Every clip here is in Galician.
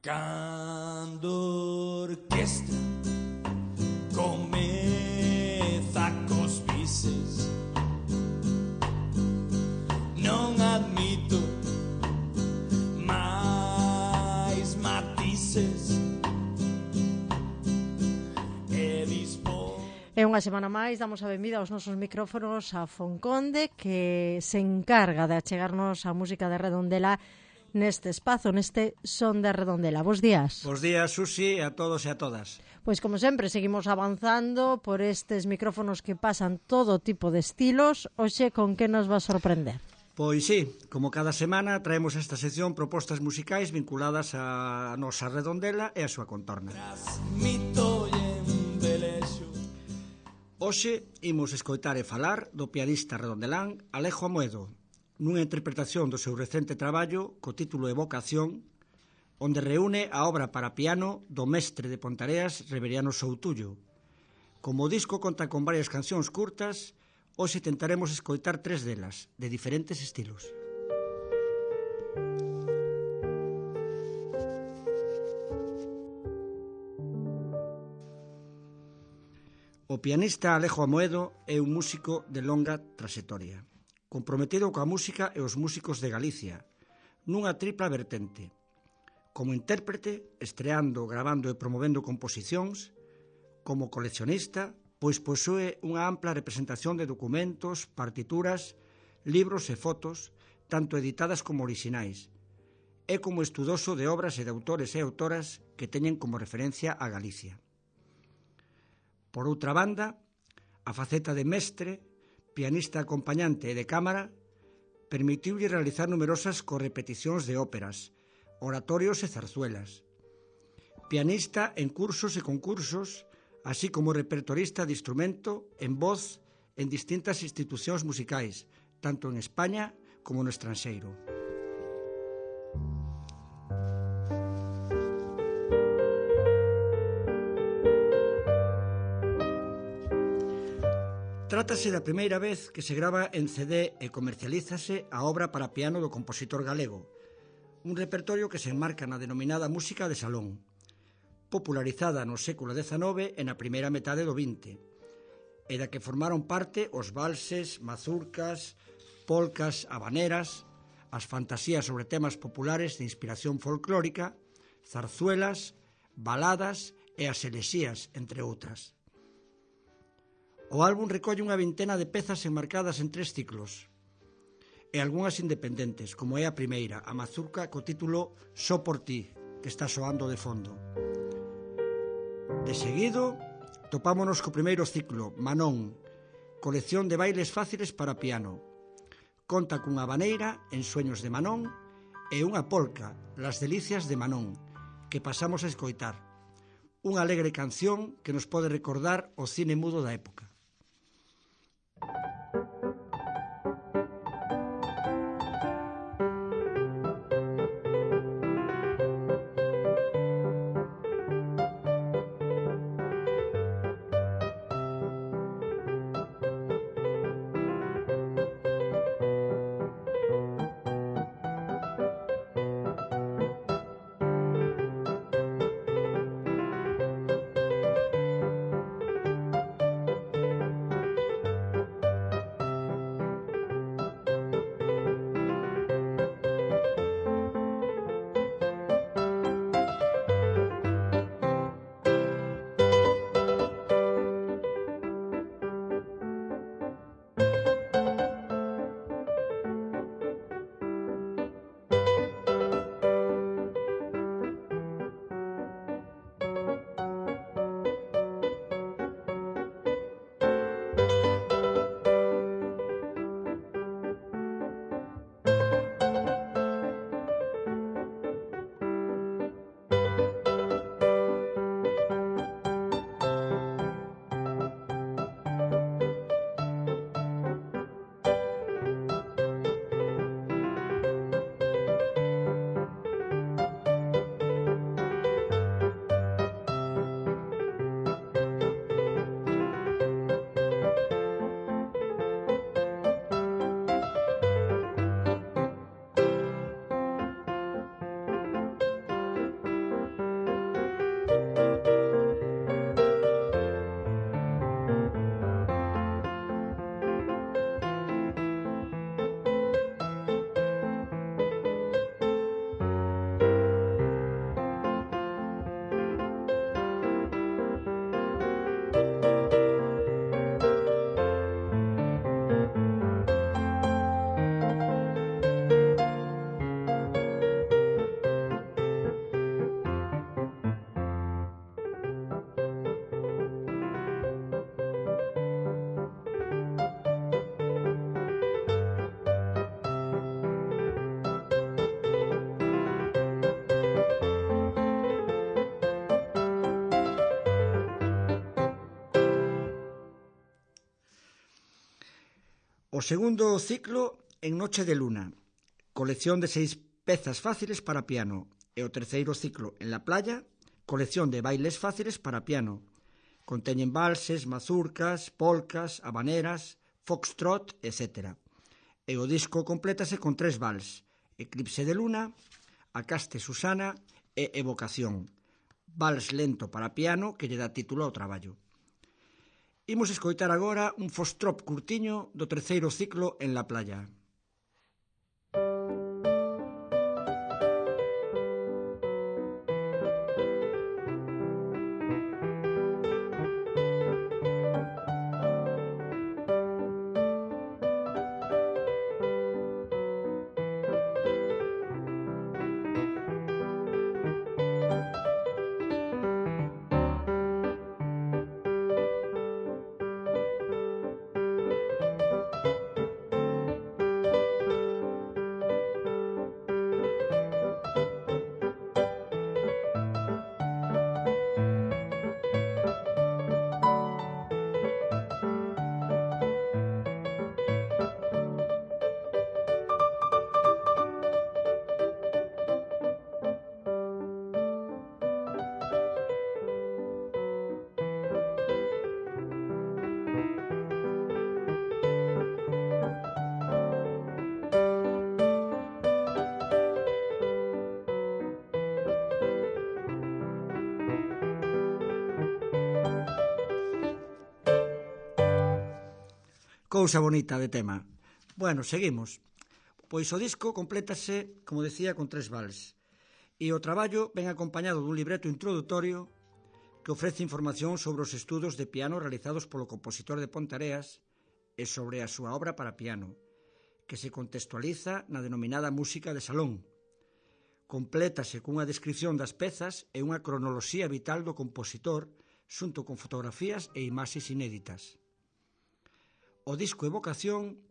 Cando orquestra comeza cos bises, non admito máis matices e dispo. E unha semana máis damos a benvida aos nosos micrófonos a Fonconde, que se encarga de achegarnos a música de Redondela neste espazo, neste Son de Redondela. Bos días. Bos días, Susi, a todos e a todas. Pois como sempre, seguimos avanzando por estes micrófonos que pasan todo tipo de estilos. Hoxe, con que nos va a sorprender? Pois sí, como cada semana traemos esta sección propostas musicais vinculadas a nosa Redondela e a súa contorna. Hoxe imos escoitar e falar do pianista redondelán Alejo Amoedo, nunha interpretación do seu recente traballo co título Evocación, onde reúne a obra para piano do mestre de Pontareas Reveriano Soutullo. Como o disco conta con varias cancións curtas, hoxe tentaremos escoitar 3 delas, de diferentes estilos. O pianista Alejo Amoedo é un músico de longa traxectoria, comprometido coa música e os músicos de Galicia, nunha tripla vertente. Como intérprete, estreando, gravando e promovendo composicións, como coleccionista, pois posúe unha ampla representación de documentos, partituras, libros e fotos, tanto editadas como orixinais, e como estudoso de obras e de autores e autoras que teñen como referencia a Galicia. Por outra banda, a faceta de mestre, pianista acompañante e de cámara, permitiulle realizar numerosas correpeticións de óperas, oratorios e zarzuelas. Pianista en cursos e concursos, así como repertorista de instrumento en voz en distintas institucións musicais, tanto en España como no estranxeiro. Trátase da primeira vez que se grava en CD e comercialízase a obra para piano do compositor galego, un repertorio que se enmarca na denominada música de salón, popularizada no século XIX e na primeira metade do XX, e da que formaron parte os valses, mazurcas, polcas, habaneras, as fantasías sobre temas populares de inspiración folclórica, zarzuelas, baladas e as elexías, entre outras. O álbum recolle unha vintena de pezas enmarcadas en 3 ciclos e algunhas independentes, como é a primeira, a mazurca co título Só por ti, que está soando de fondo. De seguido, topámonos co primeiro ciclo, Manón, colección de bailes fáciles para piano. Conta cunha habaneira, Ensueños de Manón, e unha polca, Las delicias de Manón, que pasamos a escoitar. Unha alegre canción que nos pode recordar o cine mudo da época. O segundo ciclo en Noche de Luna, colección de 6 pezas fáciles para piano. E o terceiro ciclo en La Playa, colección de bailes fáciles para piano. Conteñen valses, mazurcas, polcas, habaneras, foxtrot, etc. E o disco complétase con 3 vals: Eclipse de Luna, Acaste Susana e Evocación, vals lento para piano que lle dá título ao traballo. Imos escoitar agora un foxtrot curtiño do terceiro ciclo en La Playa. Cousa bonita de tema. Bueno, seguimos. Pois o disco complétase, como decía, con 3 vals. E o traballo ven acompañado dun libreto introdutorio que ofrece información sobre os estudos de piano realizados polo compositor de Ponteareas e sobre a súa obra para piano, que se contextualiza na denominada música de salón. Complétase cunha descripción das pezas e unha cronoloxía vital do compositor xunto con fotografías e imaxes inéditas. O disco Evocación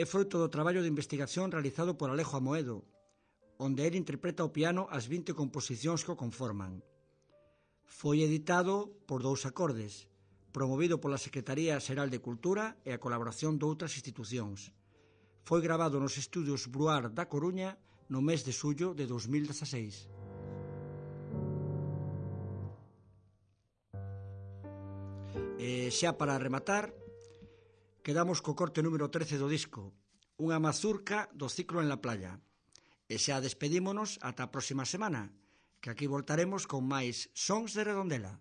é froito do traballo de investigación realizado por Alejo Amoedo, onde ele interpreta ao piano as 20 composicións que o conforman. Foi editado por 2 Acordes, promovido pola Secretaría Xeral de Cultura e a colaboración de outras institucións. Foi grabado nos estudios Bruar da Coruña no mes de xullo de 2016. E xa para rematar, quedamos co corte número 13 do disco, unha mazurca do ciclo en La Playa. E xa despedímonos ata a próxima semana, que aquí voltaremos con máis sons de Redondela.